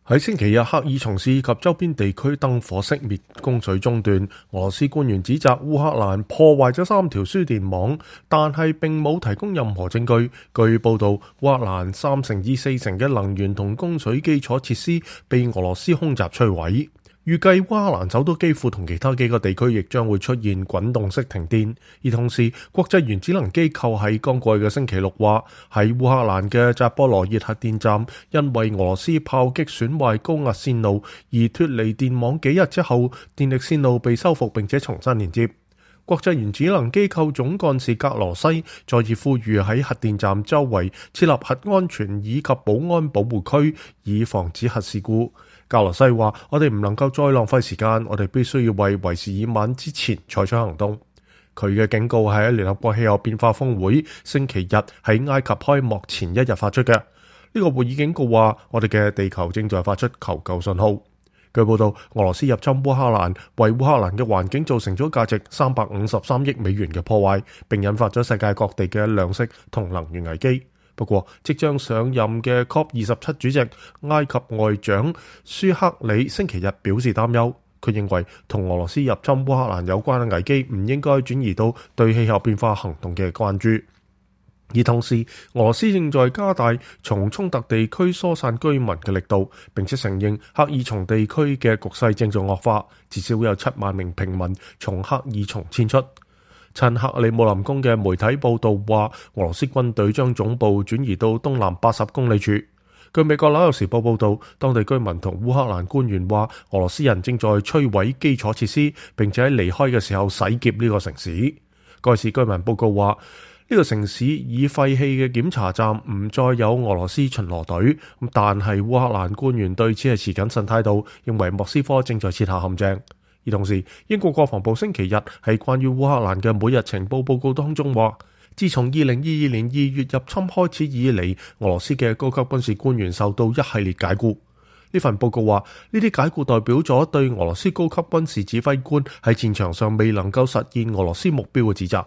喺星期日，克爾松市及周邊地區燈火熄滅，供水中斷。俄羅斯官員指責烏克蘭破壞咗3條輸電網，但係並冇提供任何證據。據報道，烏克蘭3成至4成嘅能源同供水基礎設施被俄羅斯空襲摧毀。預計烏克蘭首都基輔同其他幾個地區亦將會出現滾動式停電，而同時國際原子能機構喺剛過去嘅星期六話，喺烏克蘭嘅扎波羅熱核電站因為俄羅斯炮擊損壞高壓線路而脫離電網幾日之後，電力線路被修復並且重新連接。國際原子能機構總幹事格羅西再次呼籲喺核電站周圍設立核安全以及保安保護區，以防止核事故。格羅西話：我哋唔能夠再浪費時間，我哋必須要為為時已晚之前採取行動。佢嘅警告係喺聯合國氣候變化峰會星期日喺埃及開幕前一日發出嘅。呢個會議警告話：我哋嘅地球正在發出求救信號。據報道，俄羅斯入侵烏克蘭，為烏克蘭嘅環境造成咗價值353億美元嘅破壞，並引發咗世界各地嘅糧食同能源危機。不過，即將上任嘅 COP27 主席埃及外長舒克里星期日表示擔憂。佢認為同俄羅斯入侵烏克蘭有關嘅危機唔應該轉移到對氣候變化行動嘅關注。而同時，俄羅斯正在加大從衝突地區疏散居民嘅力度，並且承認克爾松地區嘅局勢正在惡化，至少有7萬名平民從克爾松遷出。親克里姆林宮嘅媒體報道話，俄羅斯軍隊將總部轉移到東南80公里處。據美國紐約時報報道，當地居民同烏克蘭官員話，俄羅斯人正在摧毀基礎設施，並且喺離開嘅時候洗劫呢個城市。該市居民報告話，呢個城市已廢棄嘅檢查站唔再有俄羅斯巡邏隊，但係烏克蘭官員對此係持謹慎態度，認為莫斯科正在設下陷阱。而同時，英國國防部星期日喺關於烏克蘭嘅每日情報報告當中話，自從2022年2月入侵開始以嚟，俄羅斯嘅高級軍事官員受到一系列解僱。呢份報告話，呢啲解僱代表咗對俄羅斯高級軍事指揮官喺戰場上未能夠實現俄羅斯目標嘅指責。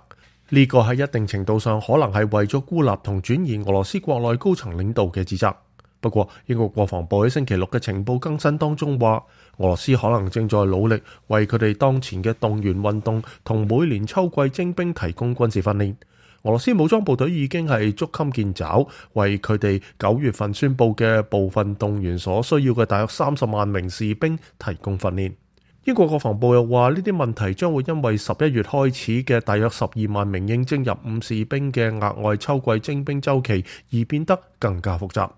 呢個喺一定程度上可能係為咗孤立同轉移俄羅斯國內高層領導嘅指責。不過，英國國防部喺星期六嘅情報更新當中話，俄羅斯可能正在努力為佢哋當前嘅動員運動同每年秋季徵兵提供軍事訓練。俄羅斯武裝部隊已經係捉襟見肘，為佢哋9月份宣佈嘅部分動員所需要嘅大約30萬名士兵提供訓練。英國國防部又話，呢啲問題將會因為11月開始嘅大約12萬名應徵入伍士兵嘅額外秋季徵兵週期而變得更加複雜。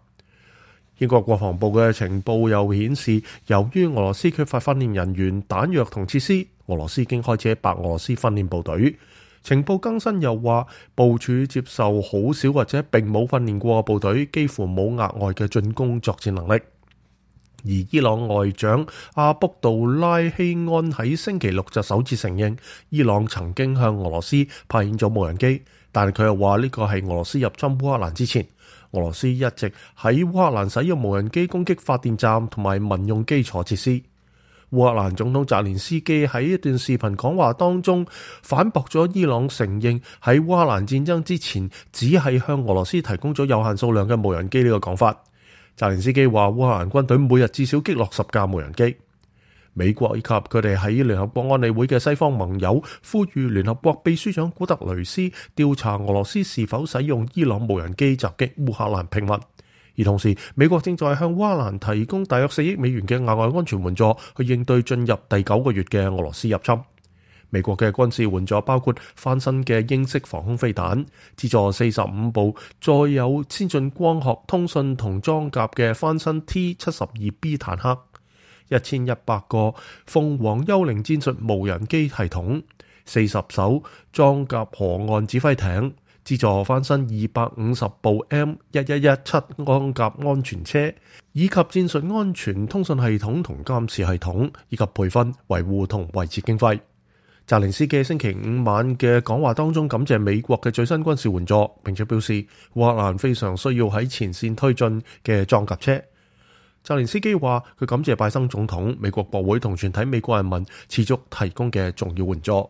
英國國防部嘅情報又顯示，由於俄羅斯缺乏訓練人員、彈藥同設施，俄羅斯已經開始喺白俄羅斯訓練部隊。情報更新又話，部署接受好少或者並冇訓練過嘅部隊，幾乎冇額外嘅進攻作戰能力。而伊朗外長阿卜杜拉希安喺星期六就首次承認，伊朗曾經向俄羅斯派遣咗無人機，但係佢又話呢個係俄羅斯入侵烏克蘭之前。俄羅斯一直喺烏克蘭使用無人機攻擊發電站同埋民用基礎設施。烏克蘭總統澤連斯基喺一段視頻講話當中反駁咗伊朗承認喺烏克蘭戰爭之前只係向俄羅斯提供咗有限數量嘅無人機呢個講法。澤連斯基話烏克蘭軍隊每日至少擊落10架無人機。美國以及佢哋喺聯合國安理會嘅西方盟友呼籲聯合國秘書長古特雷斯調查俄羅斯是否使用伊朗無人機襲擊烏克蘭平民。而同時，美國正在向烏克蘭提供大約4億美元嘅額外安全援助，去應對進入第9個月嘅俄羅斯入侵。美國嘅軍事援助包括翻新嘅英式防空飛彈，資助45部載有先進光學通訊同裝甲嘅翻新 T-72B 坦克，1100個鳳凰幽靈戰術無人機系統，40艘裝甲河岸指揮艇，資助翻新250部 M1117 裝甲安全車，以及戰術安全通訊系統同監視系統，以及培訓、維護同維持經費。澤連斯基星期5晚嘅講話當中感謝美國嘅最新軍事援助，並且表示烏克蘭非常需要喺前線推進嘅裝甲車。澤連斯基話佢感謝拜登總統、美國國會同全體美國人民持續提供嘅重要援助。